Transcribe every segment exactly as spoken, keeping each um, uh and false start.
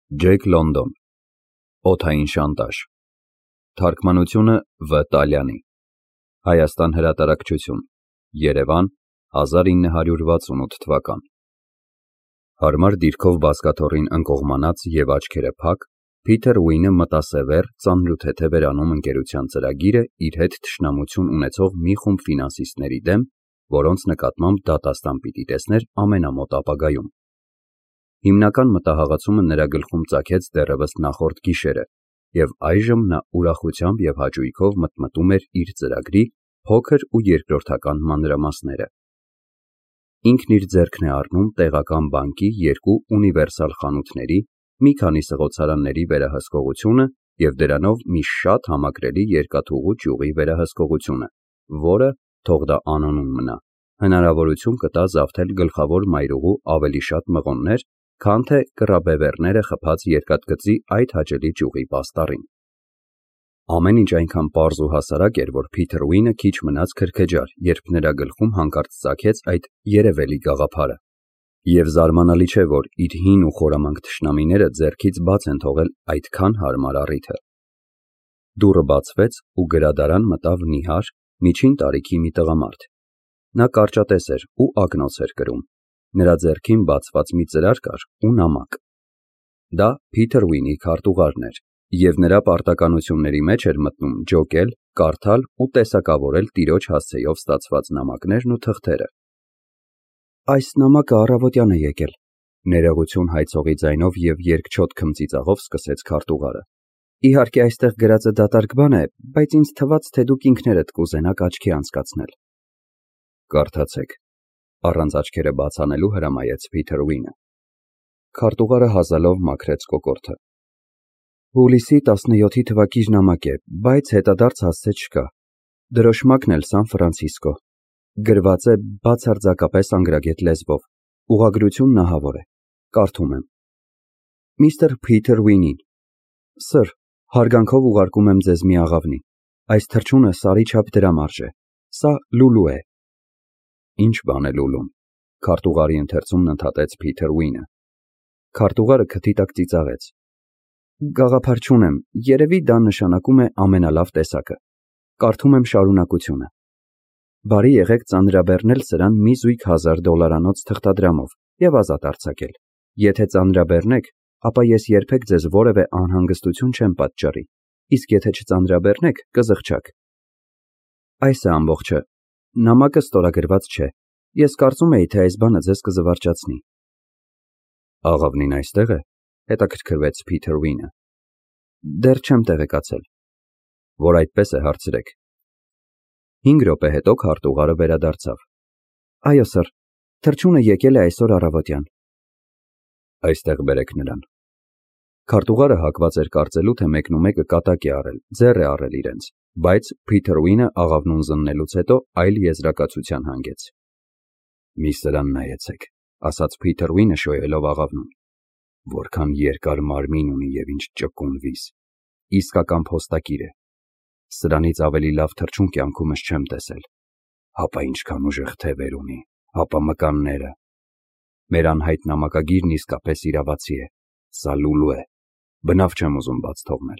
Ջեյք Լոնդոն, Օդային շանտաժ, Թարգմանությունը Վ Տալյանի, Հայաստան հրատարակչություն, Երևան, հազար ինը հարյուր վաթսունութ թվական։ Հարմար դիրքով բազկաթոռին ընկողմանած և աչքերը փակ, Փիթեր Ուինը մտասևեռ ծանրութեթե վերանում ընկերության ծրագիրը իր հետ թշնամություն ունեցող մի խումբ ֆինանսիստների դեմ, որոնց նկատմամբ դատաստան պիտի տեսներ ամենամոտ ապագայում։ Հիմնական մտահաղացումը նրա գլխում ծագեց դեռևս նախորդ գիշերը, և այժմ նա ուրախությամբ և հաճույքով մտմտում էր իր ծրագրի փոքր ու երկրորդական մանրամասները։ Ինքն իր ձեռքն է առնում տեղական բանկի երկու ունիվերսալ խանութների, մի քանի սղոցարանների վերահսկողությունը և դրանով մի շատ համակրելի երկաթուղու ճյուղի վերահսկողությունը, որը, թող դա անոնում մնա, հնարավորություն կտա զավթել գլխավոր մայրուղու ավելի շատ մղոններ, քան թե կռաբևեռները խփած երկաթգծի այդ հաճելի ճյուղի պաստառին։ Ամեն ինչ այնքան պարզ ու հասարակ էր, որ Փիթեր Ուինը քիչ մնաց քրքեջար, երբ նրա գլխում հանկարծ ծագեց այդ երևելի գաղափարը։ Եվ զարմանալի չէ, որ իր հին ու խորամանկ թշնամիները ձեռքից բաց են թողել այդքան հարմար առիթը։ Դուռը բացվեց ու գրադարան մտավ նիհար, միջին տարիքի մի տղամարդ։ Նա կարճատես էր ու ակնոց էր կրում։ Նրա ձեռքին բացված մի ծրար կար ու նամակ։ Դա Փիթեր Ուինի քարտուղարն էր, և նրա պարտականությունների մեջ էր մտնում ջոկել, կարդալ ու տեսակավորել տիրոջ հասցեով ստացված նամակներն ու թղթերը։ Այս նամակը առավոտյան է եկել, ներողություն հայցողի ձայնով և երկչոտ քմծիծաղով սկսեց քարտուղարը։ Իհարկե այստեղ գրածը դատարկ բան է, բայց ինձ թվաց, թե դուք ինքներդ կուզենաք աչքի անցկացնել։ Կարդացեք, առանց աչքերը բաց անելու հրամայեց Փիթեր Ուինը։ Քարտուղարը հազալով մաքրեց կոկորդը։ Հուլիսի տասնյոթի թվակիր նամակ է, բայց հետադարձ հասցե չկա։ Դրոշմակն էլ Սան Ֆրանցիսկո։ Գրված է բացարձակապես անգրագետ լեզվով։ Ուղղագրությունն ահավոր է։ Կարդում եմ. Միստր Փիթեր Ուինին։ Սըր, հարգանքով ուղարկում եմ ձեզ մի աղավնի։ Այս թռչունը սարի չափ դրամ արժե։ Սա լուլու է։ Ինչ բան է լուլուն։ Քարտուղարի ընթերցումն ընդհատեց Փիթեր Ուինը։ Քարտուղարը քթի տակ ծիծաղեց։ Գաղափար չունեմ, երևի դա նշանակում է ամենալավ տեսակը։ Կարդում եմ շարունակությունը։ Բարի եղեք ծանրաբեռնել սրան մի զույգ հազար դոլարանոց թղթադրամով և ազատ արձակել։ Եթե ծանրաբեռնեք, ապա ես երբեք ձեզ որևէ անհանգստություն չեմ պատճառի, իսկ եթե չծանրաբեռնեք, կզղջաք։ Այս է ամբողջը։ Նամակը ստորագրված չէ։ Ես կարծում էի, թե այս բանը ձեզ կզվարճացնի։ Աղավնին այստեղ է, հետաքրքրվեց Փիթեր Ուինը։ Դեռ չեմ տեղեկացել։ Որ այդպես է, հարցրեք։ Հինգ րոպե հետո քարտուղարը վերադարձավ։ Այո, սըր, թռչունը եկել է այսօր առավոտյան։ Այստեղ բերեք նրան։ Քարտուղարը հակված էր կարծելու, թե մեկնումեկը կատակ է արել, ձեռ է առել իրենց, բայց Փիթեր Ուինը աղավնուն զննելուց հետո այլ եզրակացության հանգեց։ Մի սրան նայեցեք, ասաց Փիթեր Ուինը շոյելով աղավնուն։ Որքան երկար մարմին ունի և ինչ ճկուն վիզ։ Իսկական փոստակիր է։ Սրանից ավելի լավ թռչուն կյանքումս չեմ տեսել։ Հապա ինչքան ուժեղ թևեր ունի, հապա մկանները։ Մեր անհայտ նամակագիրն իսկապես իրավացի է։ Սա լուլու է։ Բնավ չեմ ուզում բաց թողնել։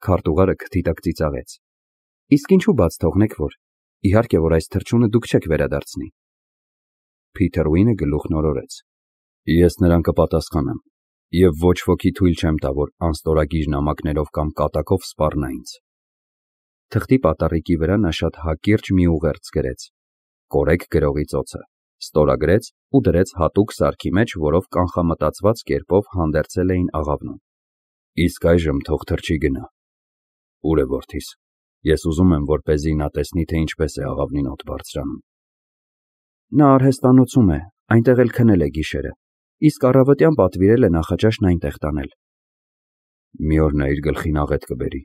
Քարտուղարը քթի տակ ծիծաղեց։ Իսկ ինչու բաց թողնեք, որ։ Իհարկե, որ այս թռչունը դուք չեք վերադարձնի։ Փիթեր Ուինը գլուխն օրորեց։ Ես նրան կպատասխանեմ, և ոչ ոքի թույլ չեմ տա, որ անստորագիր նամակներով կամ կատակով սպառնա ինձ։ Թղթի պատառիկի վրա նա շատ հակիրճ մի ուղերձ գրեց։ Կորեք գրողի ծոցը, ստորագրեց ու դրեց հատուկ սարքի մեջ, որով կանխամտածված կերպով հանդերձել էին աղավնուն։ Իսկ այժմ թող թռչի գնա։ Ուր է որդիս։ Ես ուզում եմ, որպեսզի նա տեսնի, թե ինչպես է աղավնին օդ բարձրանում։ Նա արհեստանոցում է, այնտեղ էլ քնել է գիշերը, իսկ առավոտյան պատվիրել է նախաճաշն այնտեղ տանել։ Մի օր նա իր գլխին աղետ կբերի։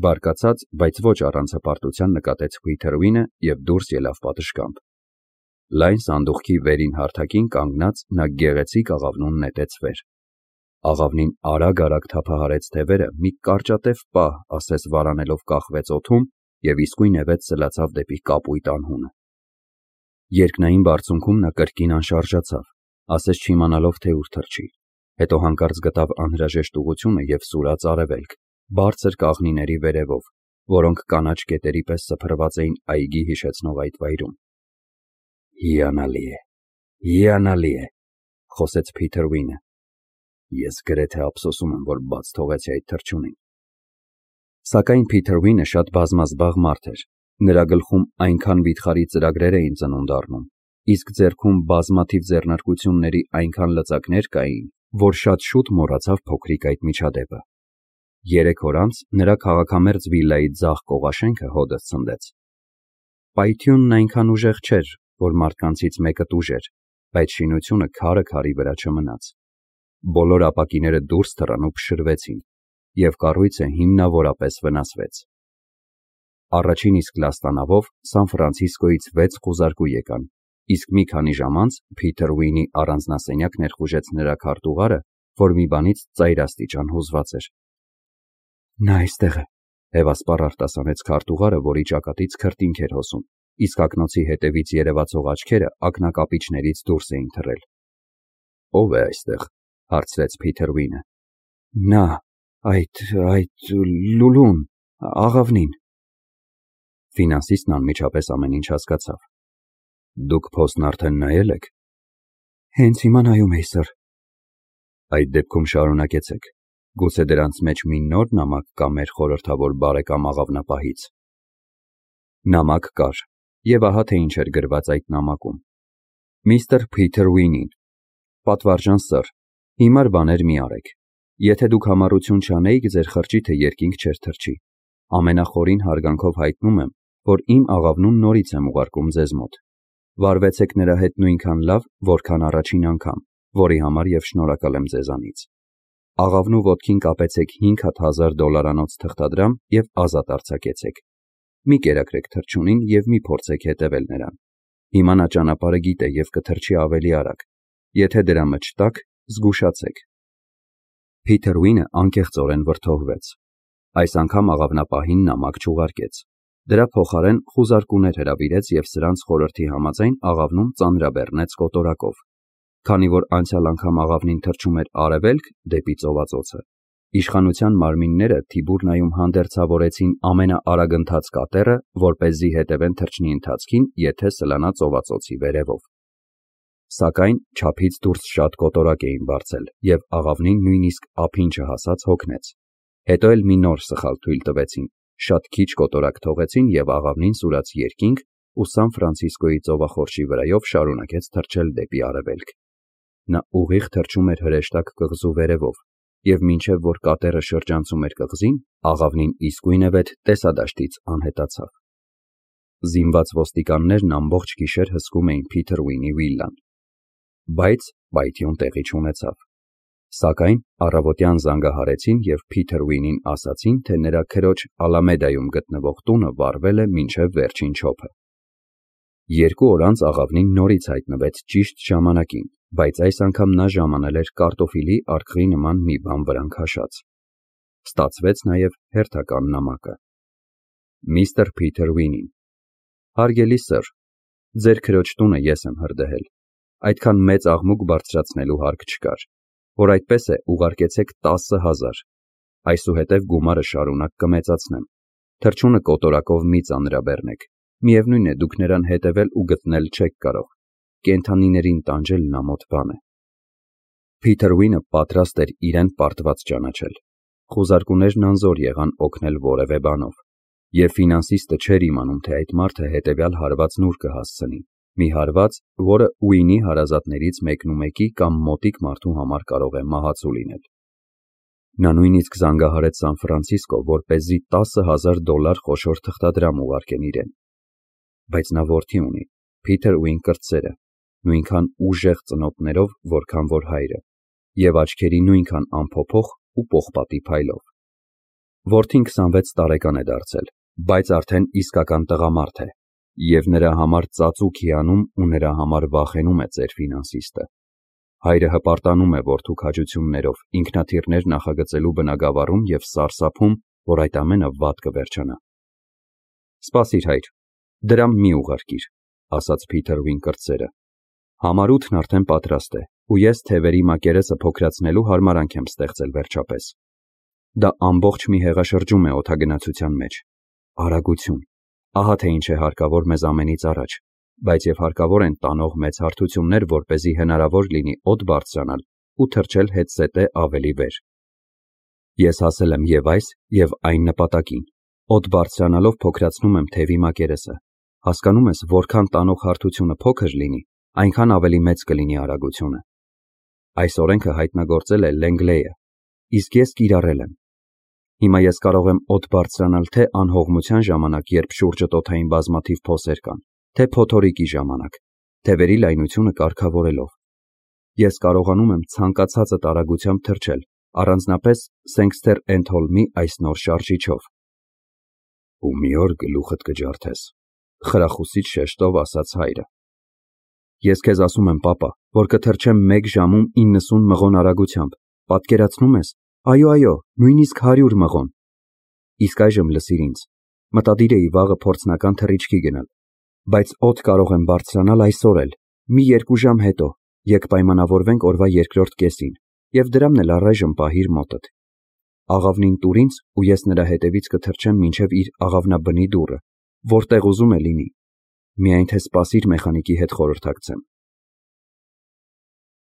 Բարկացած, բայց ոչ առանց հպարտության նկատեց Փիթեր Ուինը և դուրս ելավ պատշգամբ։ Լայն սանդուղքի վերին հարթակին կանգնած նա գեղեցիկ աղավնուն նետեց վեր։ Աղավնին արագ-արագ թափահարեց թևերը, մի կարճատև պահ ասես վարանելով կախվեց օդում և իսկույնևեթ սլացավ դեպի կապույտ անհունը։ Երկնային բարձունքում նա կրկին անշարժացավ, ասես չիմանալով, թե ուր թռչի, Հետո հանկարծ գտավ անհրաժեշտ ուղղությունը և սուրաց արևելք, բարձր կաղնիների վերևով, որոնք կանաչ կետերի պես սփռված էին այգի հիշեցնող այդ վայրում։ Հիանալի է, հիանալի է, խոսեց Փիթերվինը։ Ես գրեթե ափսոսում եմ, որ բաց թողեցի այդ թռչունին։ Սակայն Փիթերվինը շատ բազմազբաղ մարդ էր։ Նրա գլխում այնքան վիթխարի ծրագրեր էին ծնունդ առնում, իսկ ձեռքում բազմաթիվ ձեռնարկությունների այնքան լծակներ կային, որ շատ շուտ մոռացավ փոքրիկ այդ միջադեպը։ Երեք օր անց նրա քաղաքամերձ վիլայի ձախ կողաշենքը հոդս ցնդեց։ Պայթյունն այնքան ուժեղ չէր, որ մարդկանցից մեկը տուժեր, բայց շինությունը քարը քարի վրա չմնաց։ Բոլոր ապակիները դուրս թռան ու փշրվեցին, և կառույցը հիմնավորապես վնասվեց։ Առաջին իսկ լաստանավով Սան Ֆրանցիսկոյից վեց խուզարկու եկան, իսկ մի քանի ժամ անց Փիթերվինի առանձնասենյակ ներխուժեց նրա քարտուղարը, որ մի բանից ծայրաստիճան հուզված էր։ Նա այստեղ է, հևասպառ արտասանեց քարտուղարը, որի ճակատից քրտինք էր հոսում, իսկ ակնոցի հետևից երևացող աչքերը ակնակապիճներից դուրս էին թռել։ Ո՞վ է այստեղ, հարցրեց Փիթերվինը։ Նա, այդ, այդ, Լուլուն, աղավնին։ Ֆինանսիստն անմիջապես ամեն ինչ հասկացավ։ Դուք փոստն արդեն նայել եք։ Հենց հիմա նայում էի, սըր։ Այդ դեպքում շարունակեցեք։ Գուցե դրանց մեջ մի նոր նամակ կա մեր խորհրդավոր բարեկամ աղավնապահից։ Նամակ կար, և ահա թե ինչ էր գրված այդ նամակում։ Միստր Փիթերվինին, պատվարժան սըր, հիմար բաներ մի արեք։ Եթե դուք համառություն չանեիք, ձեր խրճիթը երկինք չէր թռչի։ Ամենախորին հարգանքով հայտնում եմ, որ իմ աղավնուն նորից եմ ուղարկում ձեզ մոտ։ Վարվեցեք նրա հետ նույնքան լավ, որքան առաջին անգամ, որի համար և շնորհակալ եմ ձեզանից։ Աղավնու ոտքին կապեցեք հինգ հազար դոլարանոց թղթադրամ և ազատ արձակեցեք։ Մի կերակրեք թռչունին և մի փորձեք հետևել նրան։ Հիմա նա ճանապարհը գիտե և կթռչի ավելի արագ։ Եթե դրամը չտաք, զգուշացեք։ Փիթերվինը անկեղծորեն վրդովվեց։ Այս անգամ աղավնապահին նամակ չուղարկեց։ Դրա փոխարեն խուզարկուներ հրավիրեց և սրանց խորհրդի համաձայն աղավնում ծանրաբեռնեց կոտորակով։ Քանի որ անցյալ անգամ աղավնին թռչում էր արևելք, դեպի ծովածոցը, իշխանության մարմինները Թիբուրնայում հանդերձավորեցին ամենաարագընթաց կատերը, որպեսզի հետևեն թռչնի ընթացքին, եթե սլանա ծովածոցի վերևով։ Սակայն չափից դուրս շատ կոտորակ էին բարձել, և աղավնին նույնիսկ ափին չհասած հոգնեց։ Հետո էլ մի նոր սխալ թույլ տվեցին, շատ քիչ կոտորակ թողեցին և աղավնին սուրաց երկինք ու Սան Ֆրանցիսկոյի ծովախորշի վրայով շարունակեց թռչել դեպի արևելք։ Նա ուղիղ թռչում էր հրեշտակ կղզու վերևով, և մինչև որ կատերը շրջանցում էր կղզին, աղավնին իսկույնևեթ տեսադաշտից անհետացավ։ Զինված ոստիկաններն ամբողջ գիշեր հսկում էին Փիթերվինի վիլլան։ Բայց պայթյուն տեղի չունեցավ։ Սակայն առավոտյան զանգահարեցին և Փիթերվինին ասացին, թե նրա քրոջ Ալամեդայում գտնվող տունը վառվել է մինչև վերջին չոփը։ Երկու օր անց աղավնին նորից հայտնվեց ճիշտ ժամանակին, բայց այս անգամ նա ժամանել էր կարտոֆիլի արկղի նման մի բան վրան քաշած։ Ստացվեց նաև հերթական նամակը։ Միստր Փիթերվինին, հարգելի սըր, ձեր քրոջ տունը ես եմ հրդեհել։ Այդքան մեծ աղմուկ բարձրացնելու հարկ չկար։ Որ այդպես է, ուղարկեցեք տասը հազար։ Այսուհետև գումարը շարունակ կմեծացնեմ։ Թռչունը կոտորակով մի ծանրաբեռնեք։ Միևնույն է, դուք նրան հետևել ու գտնել չեք կարող։ Կենդանիներին տանջելն ամոթ բան է։ Փիթերվինը պատրաստ էր իրեն պարտված ճանաչել։ Խուզարկուներն անզոր եղան օգնել որևէ բանով։ Եվ ֆինանսիստը չէր իմանում, թե այդ մարդը հետևյալ հարվածն ուր կհասցնի։ Մի հարված, որը Ուինի հարազատներից մեկնումեկի կամ մոտիկ մարդու համար կարող է մահացու լինել։ Նա նույնիսկ զանգահարեց Սան Ֆրանցիսկո, որպեսզի տասը հազար դոլար խոշոր թղթադրամ ուղարկեն իրեն։ Բայց նա որդի ունի, Փիթերվին կրտսերը, նույնքան ուժեղ ծնոտներով, որքան որ հայրը, և աչքերի նույնքան անփոփոխ ու պողպատի փայլով։ Որդին քսանվեց տարեկան է դարձել, բայց արդեն իսկական տղամարդ է, և նրա համար ծածուկ հիանում ու նրա համար վախենում է ծեր ֆինանսիստը։ Հայրը հպարտանում է որդու քաջություններով, ինքնաթիռներ նախագծելու բնագավառում և սարսափում, որ այդ ամենը վատ կվերջանա։ Սպասիր, հայր, դրամ մի ուղարկիր, ասաց Փիթերվին կրտսերը։ Համարութն արդեն պատրաստ է, ու ես թևերի մակերեսը փոքրացնելու հարմարանք եմ ստեղծել վերջապես։ Դա ամբողջ մի հեղաշրջում է օդագնացության մեջ։ Արագություն։ Ահա թե ինչ է հարկավոր մեզ ամենից առաջ, բայց եւ հարկավոր են տանող մեծ հարթություններ, որպեսզի հնարավոր լինի օդ բարձրանալ ու թռչել հետզհետե ավելի վեր։ Ես հասել եմ եւ այս, եւ այն նպատակին։ Օդ բարձրանալով փոքրացնում եմ թևի մակերեսը։ Հասկանում ես, որքան տանող հարթությունը փոքր լինի, այնքան ավելի մեծ կլինի արագությունը։ Այս օրենքը հայտնագործել է Լենգլեյը, իսկ ես կիրառել եմ։ Հիմա ես կարող եմ օդ բարձրանալ թե անհողմության ժամանակ, երբ շուրջդ օդային բազմաթիվ փոսեր կան, թե փոթորիկի ժամանակ, թևերի լայնությունը կարգավորելով։ Ես կարողանում եմ ցանկացածը արագությամբ թռչել, առանձնապես Սենքստեր Էնդհոլմի այս նոր շարժիչով։ Ու մի օր գլուխդ կջարդես, խրախուսիչ շեշտով ասաց հայրը։ Ես քեզ ասում եմ, պապա, որ կթռչեմ մեկ ժամում իննսուն մղոն արագությամբ, պատկերացնում ես։ Այո, այո, նույնիսկ հարյուր մղոն։ Իսկ այժմ լսիր ինձ, մտադիր էի վաղը փորձնական թռիչքի գնալ, բայց օդ կարող եմ բարձրանալ այսօր էլ, մի երկու ժամ հետո, եկ պայմանավորվենք օրվա երկրորդ կեսին, և դրամն էլ առայժմ պահիր մոտդ։ Աղավնին տուր ինձ, ու ես նրա հետևից կթռչեմ մինչև իր աղավնաբնի դուռը, որտեղ ուզում է լինի։ Միայն թե սպասիր մեխանիկի հետ խորհրդակցեմ։